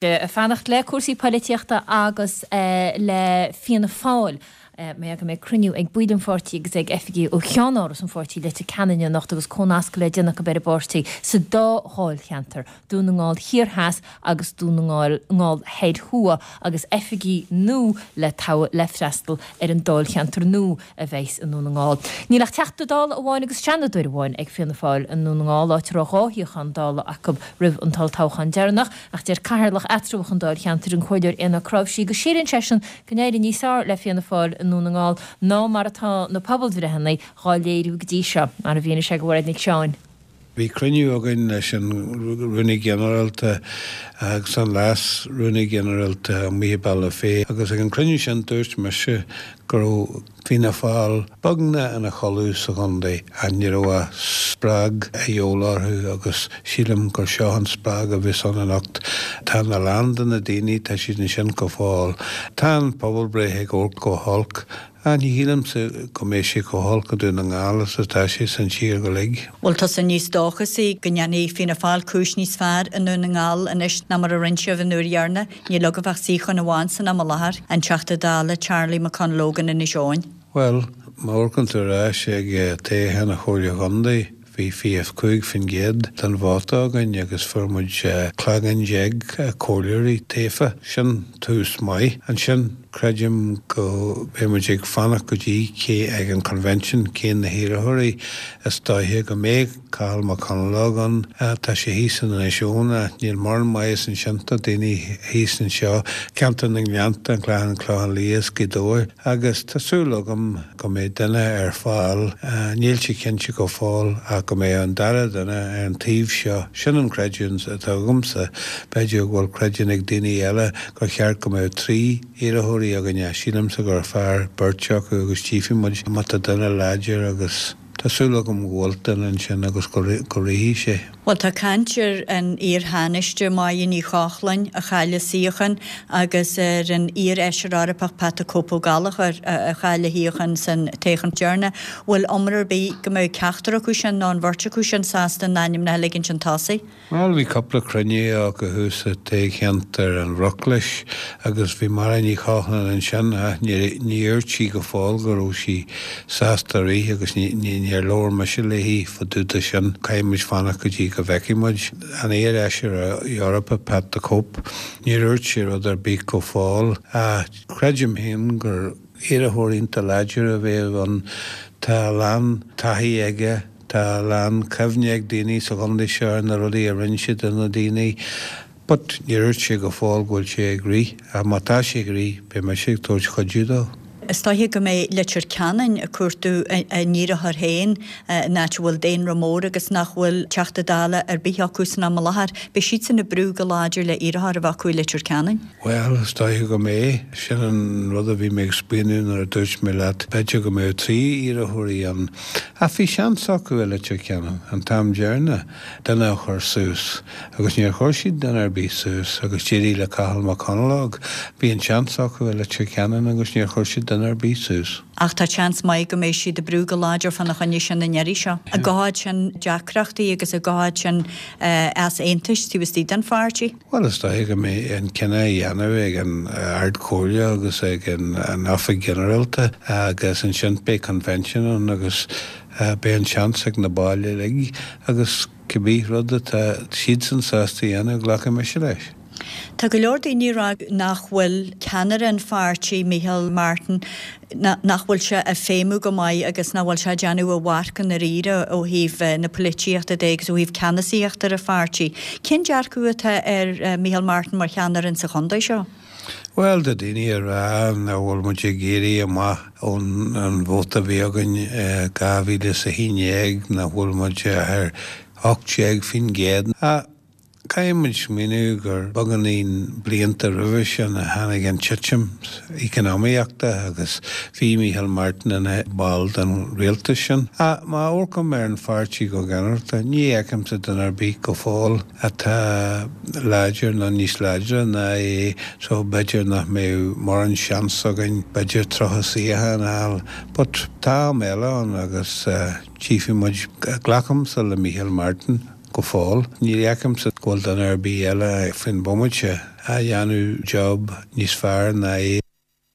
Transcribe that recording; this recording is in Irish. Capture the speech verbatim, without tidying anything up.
Ag fanacht le cúrsaí polaitíochta agus le Fianna Fáil. Mar go mbeidh cruinniú ag baill an pháirtí agus ag oifigigh ó cheannáras an pháirtí Leitir Ceanainn anocht agus comhnascadh le déanamh acu ar an bpáirtí sa dá dháilcheantar, Dún na nGall Thiar Theas agus Dún na nGall Thoir Thuaidh, agus oifigigh nua le toghadh le freastal ar an dáilcheantar nua a bheas i nDún na nGall. Níl ach Teachta Dála amháin agus Seanadóir amháin ag Fianna Fáil i nDún na nGall, áit a raibh dhá shuíochán Dála acu roimh an tolltoghchán deireanach, ach deir Cathaoirleach eatramhach an dáilcheantair, an Comhairleoir Éanna Ó Cnáimhsí, go síleann seisean go n-éireoidh níos fearr le Fianna Fáil i nDún na nGall ná mar atá na pobalbhreitheanna dhá léiriú go dtí seo, mar a mhínigh sé do Mhairéad Nic Seáin. Bhí cruinniú againn leis an Rúnaí Ginearálta agus an Leas Rúnaí Ginearálta amuigh i Bealach Féich agus ag an cruinniú sin dúirt mise go raibh Fianna Fáil beagnach ina chodladh sa chontae ach ní raibh ach spreag a dhíobháil orthu agus sílim gur seo an spreag a bheas ann anocht. Tá a lán de na daoine, tá siad ansin go fóill. Tá an pobalbhreith ag amharc go holc ach ní shílimse go mbeidh sé chomh holc i Dún na nGall is atá sé san tír go uilig. Bhfuil tusa níos dóchasaí go ndéanfaidh Fianna Fáil cúis níos fearr i nDún na nGall anois ná mar a rinne sibh an uair dheireanach? Níl agaibh ach suíochán amháin san am i láthair, an Teachta Dála Charlie McConalogue in Inis Eoghain. Bhuel, má amharcann tú ar ais ag toghchán an Chomhairle Chontae, bhí fiche cúig faoin gcéad den vóta againn agus fuair muid cloigeann déag comhairleoirí tofa. Sin tús maith. Ansin, creidim go mbeidh muid ag fanacht go dtí cé ag an convention cé na hiarrthóirí is dóiche go mbeidh Cathal McConalogue ann. Tá sé thíos in Inis Eoghain ach níl mórán maitheas ansin do daoine thíos anseo, ceantar na nGleannta, an Clachán, Clochán Liath is Gaoth Dobhair agus tá súil agam go mbeidh duine ar fáil, níl sé cinnte go fóill ach go mbeidh an dara duine ar an taobh seo. Sin an creidiúint atá agamsa. B'fhéidir go bhfuil creidiúint ag daoine eile gur cheart go mbeadh trí iarrthóirí againne. Sílimse gur fearr beirt acu agus tchífidh muid má tá duine láidir agus tá súil agam go bhfuil duine ansin agus go rithfidh sé. Bhuel, tá caint ar an iar-Thánaiste Máire Ní Chochláin a chaill a suíochán agus ar an iar-fheisire Eorpach Pat the Cope Ó Gallchóir a chaill a shuíochán san toghchán deireanach. Bhfuil iomrá ar bith go mbeadh ceachtar acu sin nó an bheirt acu sin sásta a n-ainmneacha a ligint chun tosaigh? Bhuel, bhí cúpla cruinniú acu thuas i dtoghcheantar an Bhruclais agus bhí Máire Ní Chochláin ansin ach ní dúirt sí go fóill go raibh sí sásta rith agus níor labhair mise léi fá dtaobh de sin. Caithfidh muid fanacht go dtí go bhfeicfidh muid. An iar-fheisire Eorpach Pat the Cope, níor dhúirt sé rud ar bith go fóill ach creidim féin gur iarrthóir iontach láidir a bheadh ann. Tá a lán taithí aige. Tá a lán cuimhne ag daoine sa chontae seo ar na rudaí a rinne sé do na daoine but níor dhúirt sé go fóill go bhfuil sé ag rith ach má tá sé ag rith beidh mise ag tabhairt cuidiú dó. Is dóiche go mbeidh Leitir Ceanainn ag cuartú a n-iarrthóir féin in áit a bhfuil daonra mór agus nach bhfuil Teachta Dála ar bith acu san am i láthair. Beidh siadsan ag brú go láidir le iarrthóir a bheith acu i Leitir Ceanainn. Bhuel, is dóiche go mbeidh. Sin an rud a bhí mé ag smaoineamh nuair a dúirt mé leat b'fhéidir go mbeadh trí iarrthóirí ann. Ach bhí seans acu i Leitir Ceanainn an t-am deireanach duine a chur suas agus níor chuir siad duine ar bith suas agus d'éirigh le Cathal McConalogue. Bhí an seans acu i Leitir Ceanainn agus níor chuir siad duine ar bith suas. Ach tá seans maith go mbeidh siad ag brú go láidir fána choinne sin an iarraidh seo. An gcothóidh sin deacrachtaí agus an gcothóidh sin easaontais taobh istigh den pháirtí. Bhuel, is dóiche go mbeidh an cinneadh á dhéanamh ag an Ard-Chomhairle agus ag an Oifig Ghinearálta agus ansin beidh convention ann agus beidh an seans ag na baill uilig agus cibé rud atá siadsan sásta a dhéanamh, glacfaidh mise leis. Tá go leor daoine ag rá nach bhfuil ceannaire an pháirtí, Micheál Martin, nach bhfuil sé ag feidhmiú go maith agus nach bhfuil sé ag déanamh a mharc i ndáiríre ó thaobh na polaitíochta de agus ó thaobh ceannasaíochta ar an pháirtí. Cén dearcadh atá ar Micheál Martin mar cheannaire insa chontae seo? Bhuel, tá daoine ag rá nach bhfuil muid ag éirí amach ón an vóta a bhí againn i dhá mhíle is a haon déag, nach bhfuil muid ar ocht déag faoin gcéad. Ach Caithfidh muid smaoineamh gur beagáinín blianta roimhe sin a tháinig an titim eacnamaíochta agus bhí Micheál Martin ina ball den rialtas sin. Ach má amharcaim ar an pháirtí go ginearálta, ní fheicimse duine ar bith go fóill atá láidir nó níos láidre ná é so b'fhéidir nach mbeadh mórán seans againn b'fhéidir tríocha suíochán a fháil. But tá am eile ann agus tchífidh muid. Glacaimse le Micheál Martin. Go fóill, ní fheicimse go bhfuil duine ar bith eile faoin bhomaite a dhéanamh job níos fearr ná é.